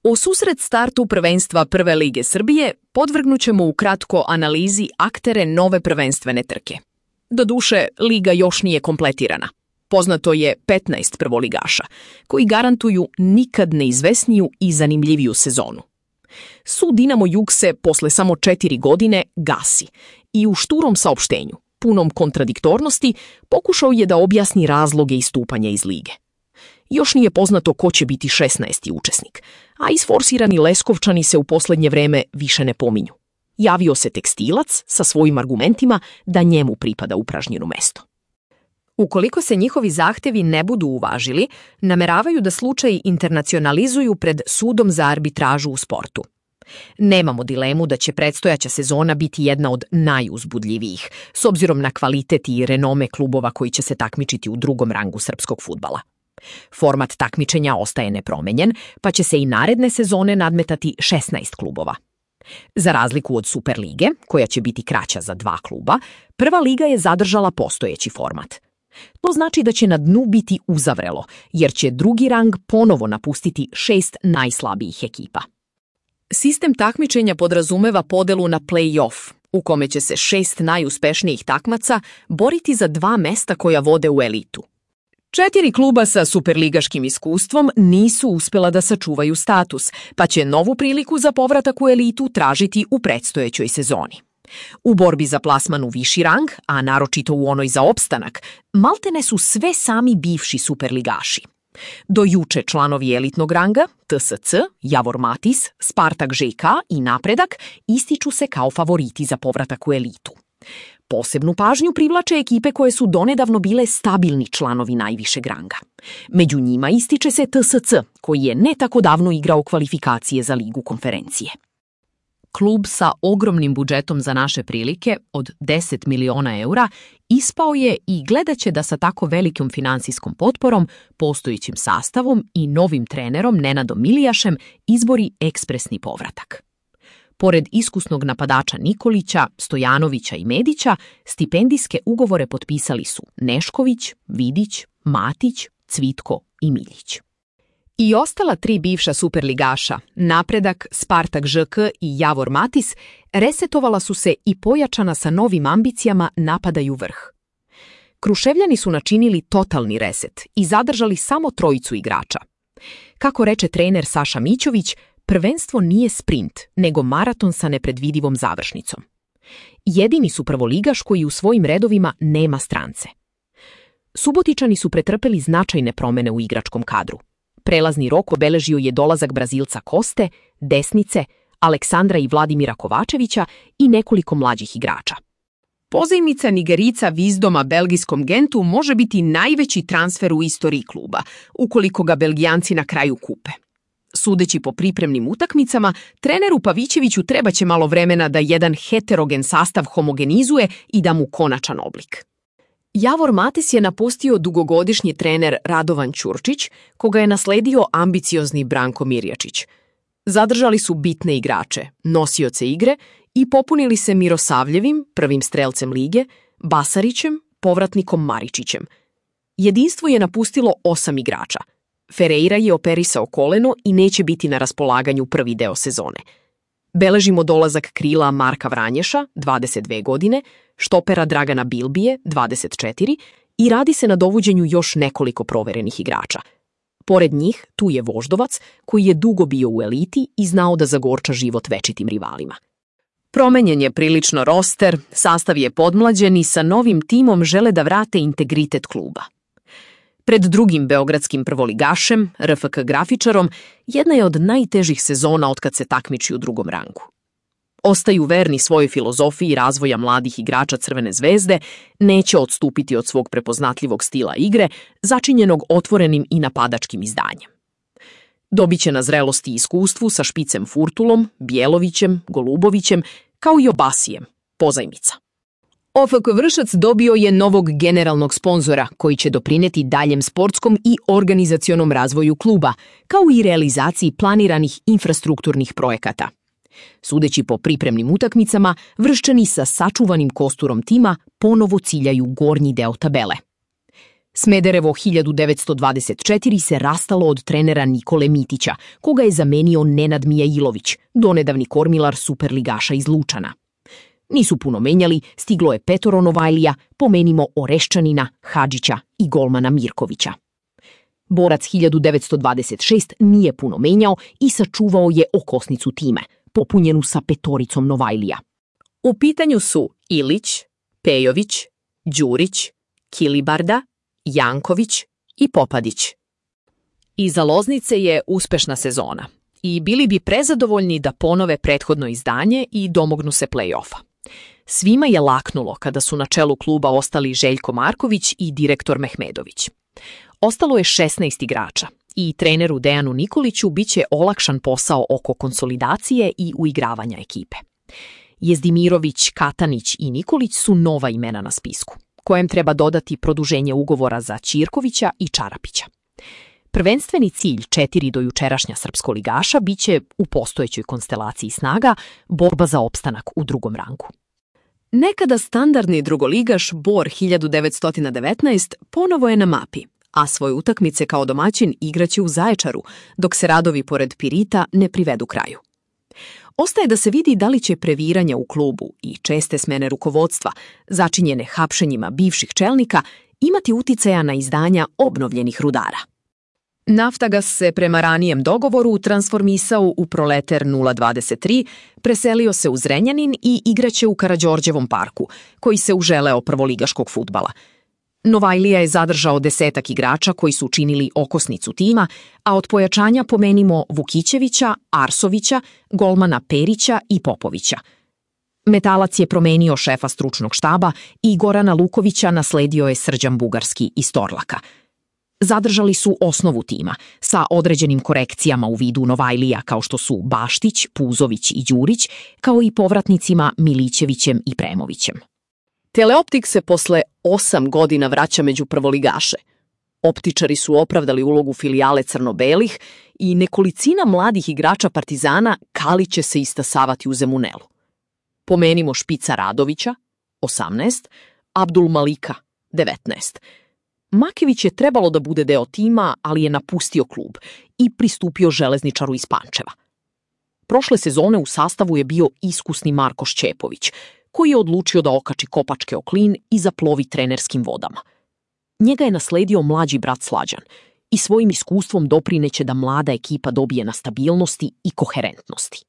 O susret startu prvenstva Prve lige Srbije podvrgnućemo ukratko analizi aktere nove prvenstvene trke. Doduše, liga još nije kompletirana. Poznato je 15 prvoligaša, koji garantuju nikad neizvesniju i zanimljiviju sezonu. Sud Dinamo Jug se posle samo 4 godine gasi i u šturom saopštenju, punom kontradiktornosti, pokušao je da objasni razloge istupanja iz lige. Još nije poznato ko će biti 16. učesnik, a isforsirani Leskovčani se u poslednje vreme više ne pominju. Javio se tekstilac sa svojim argumentima da njemu pripada upražnjeno mesto. Ukoliko se njihovi zahtevi ne budu uvažili, nameravaju da slučaj internacionalizuju pred sudom za arbitražu u sportu. Nemamo dilemu da će predstojaća sezona biti jedna od najuzbudljivijih, s obzirom na kvalitet i renome klubova koji će se takmičiti u drugom rangu srpskog fudbala. Format takmičenja ostaje nepromenjen, pa će se i naredne sezone nadmetati 16 klubova. Za razliku od Superlige, koja će biti kraća za 2 kluba, Prva liga je zadržala postojeći format. To znači da će na dnu biti uzavrelo, jer će drugi rang ponovo napustiti 6 najslabijih ekipa. Sistem takmičenja podrazumeva podelu na play-off, u kome će se 6 najuspešnijih takmaca boriti za 2 mesta koja vode u elitu. 4 kluba sa superligaškim iskustvom nisu uspjela da sačuvaju status, pa će novu priliku za povratak u elitu tražiti u predstojećoj sezoni. U borbi za plasman u viši rang, a naročito u onoj za opstanak, maltene su sve sami bivši superligaši. Do juče članovi elitnog ranga, TSC, Javor Matis, Spartak ŽK i Napredak ističu se kao favoriti za povratak u elitu. Posebnu pažnju privlače ekipe koje su donedavno bile stabilni članovi najvišeg ranga. Među njima ističe se TSC, koji je ne tako davno igrao kvalifikacije za Ligu konferencije. Klub sa ogromnim budžetom za naše prilike od 10 miliona eura ispao je i gledat će da sa tako velikom finansijskom potporom, postojećim sastavom i novim trenerom Nenadom Milijašem izbori ekspresni povratak. Pored iskusnog napadača Nikolića, Stojanovića i Medića, stipendijske ugovore potpisali su Nešković, Vidić, Matić, Cvitko i Miljić. I ostala 3 bivša superligaša, Napredak, Spartak ŽK i Javor Matis, resetovala su se i pojačana sa novim ambicijama napadaju vrh. Kruševljani su načinili totalni reset i zadržali samo 3 igrača. Kako reče trener Saša Mićović, prvenstvo nije sprint, nego maraton sa nepredvidivom završnicom. Jedini su prvoligaš koji u svojim redovima nema strance. Subotičani su pretrpeli značajne promene u igračkom kadru. Prelazni rok obeležio je dolazak Brazilca Koste, Desnice, Aleksandra i Vladimira Kovačevića i nekoliko mlađih igrača. Pozajmica Nigerica Vizdoma belgijskom Gentu može biti najveći transfer u istoriji kluba, ukoliko ga Belgijanci na kraju kupe. Sudeći po pripremnim utakmicama, treneru Pavićeviću trebaće malo vremena da jedan heterogen sastav homogenizuje i da mu konačan oblik. Javor Matis je napustio dugogodišnji trener Radovan Ćurčić, koga je nasledio ambiciozni Branko Mirjačić. Zadržali su bitne igrače, nosioce igre i popunili se Mirosavljevim, prvim strelcem lige, Basarićem, povratnikom Maričićem. Jedinstvo je napustilo 8 igrača. Ferreira je operisao koleno i neće biti na raspolaganju prvi deo sezone. Beležimo dolazak krila Marka Vranješa, 22 godine, štopera Dragana Bilbije, 24, i radi se na dovođenju još nekoliko proverenih igrača. Pored njih, tu je Voždovac, koji je dugo bio u eliti i znao da zagorča život večitim rivalima. Promenjen je prilično roster, sastav je podmlađen i sa novim timom žele da vrate integritet kluba. Pred drugim beogradskim prvoligašem, RFK Grafičarom, jedna je od najtežih sezona otkad se takmiči u drugom rangu. Ostaju verni svojoj filozofiji razvoja mladih igrača Crvene zvezde, neće odstupiti od svog prepoznatljivog stila igre, začinjenog otvorenim i napadačkim izdanjem. Dobiće na zrelosti i iskustvu sa Špicem Furtulom, Bjelovićem, Golubovićem, kao i Obasijem, pozajmica. OFK Vršac dobio je novog generalnog sponzora koji će doprineti daljem sportskom i organizacionom razvoju kluba, kao i realizaciji planiranih infrastrukturnih projekata. Sudeći po pripremnim utakmicama, Vrščani sa sačuvanim kosturom tima ponovo ciljaju gornji deo tabele. Smederevo 1924 se rastalo od trenera Nikole Mitića, koga je zamenio Nenad Mijailović, donedavni kormilar superligaša iz Lučana. Nisu puno menjali, stiglo je 5 Novajlija, pomenimo Oreščanina, Hadžića i golmana Mirkovića. Borac 1926 nije puno menjao i sačuvao je okosnicu time, popunjenu sa 5 Novajlija. U pitanju su Ilić, Pejović, Đurić, Kilibarda, Janković i Popadić. Iza Loznice je uspešna sezona i bili bi prezadovoljni da ponove prethodno izdanje i domognu se play-offa. Svima je laknulo kada su na čelu kluba ostali Željko Marković i direktor Mehmedović. Ostalo je 16 igrača i treneru Dejanu Nikoliću biće olakšan posao oko konsolidacije i uigravanja ekipe. Jezdimirović, Katanić i Nikolić su nova imena na spisku, kojem treba dodati produženje ugovora za Ćirkovića i Čarapića. Prvenstveni cilj 4 dojučerašnja srpskoligaša biće, u postojećoj konstelaciji snaga, borba za opstanak u drugom rangu. Nekada standardni drugoligaš Bor 1919 ponovo je na mapi, a svoje utakmice kao domaćin igraće u Zaječaru, dok se radovi pored Pirita ne privedu kraju. Ostaje da se vidi da li će previranja u klubu i česte smene rukovodstva, začinjene hapšenjima bivših čelnika, imati uticaja na izdanja obnovljenih Rudara. Naftagas se prema ranijem dogovoru transformisao u Proleter 023, preselio se u Zrenjanin i igraće u Karađorđevom parku, koji se uželeo prvoligaškog fudbala. Novajlija je zadržao 10 igrača koji su učinili okosnicu tima, a od pojačanja pomenimo Vukićevića, Arsovića, golmana Perića i Popovića. Metalac je promenio šefa stručnog štaba i Gorana Lukovića nasledio je Srđan Bugarski iz Torlaka. Zadržali su osnovu tima, sa određenim korekcijama u vidu Novajlija kao što su Baštić, Puzović i Đurić, kao i povratnicima Milićevićem i Premovićem. Teleoptik se posle 8 godina vraća među prvoligaše. Optičari su opravdali ulogu filijale crno-belih i nekolicina mladih igrača Partizana kaliće se istasavati u Zemunelu. Pomenimo Špica Radovića, 18, Abdul Malika, 19. Makević je trebalo da bude deo tima, ali je napustio klub i pristupio Železničaru iz Pančeva. Prošle sezone u sastavu je bio iskusni Marko Šćepović, koji je odlučio da okači kopačke o klin i zaplovi trenerskim vodama. Njega je nasledio mlađi brat Slađan i svojim iskustvom doprineće da mlada ekipa dobije na stabilnosti i koherentnosti.